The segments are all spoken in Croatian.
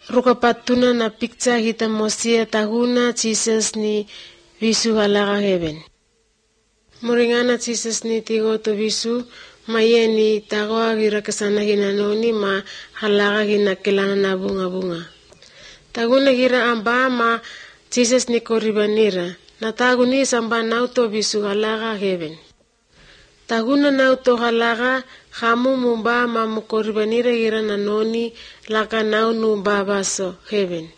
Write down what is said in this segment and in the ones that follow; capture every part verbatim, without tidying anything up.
rukapatuna na picture hita mosia tahuna Jesus ni visu halaga heaven. Muringana Jesus ni tigo to visu maye ni tagoa gira kesana hina noni ma halaga hina kelana na bunga bunga. Taguna gira amba ma Jesus ni koribanira. Na taguni samba nauto visu halaga heaven. Taguna nauto halaga hamu mumba ma mukoribanira gira na noni laka nau nu babaso heaven.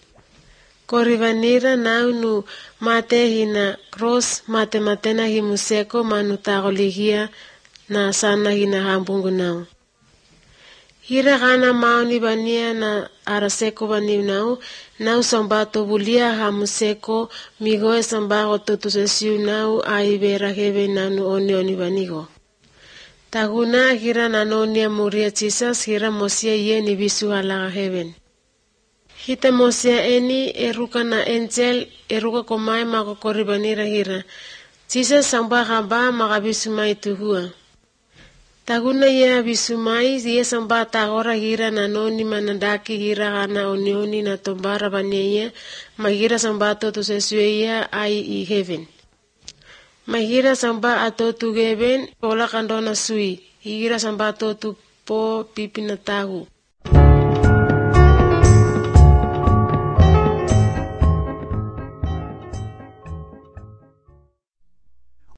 Koribanira nau nu mate hina cross mate matena himuseko manu tagoligia na sana hina hambungu nau. Hira gana mauni bania na araseko bani nau, nau sambato bulia hamuseko migoe sambago totusesiu nau aibera hebe nanu oni oni banigo. Taguna hira nanonia muria Jesus hira mosia ye ni visu halaga heaven. Hita mosia eni eruka na angel eruka komai mako koribanira hira. Jesus sambaga ba magabisu mai tuhua. Taguna ye bisumai ye samba tagora hira na noni manandaki hira gana onioni na tombara baniye magira samba to tusesuya ai i heaven. Magira samba ato tu heaven pola kandona sui hira samba to tu po pipi na tahu.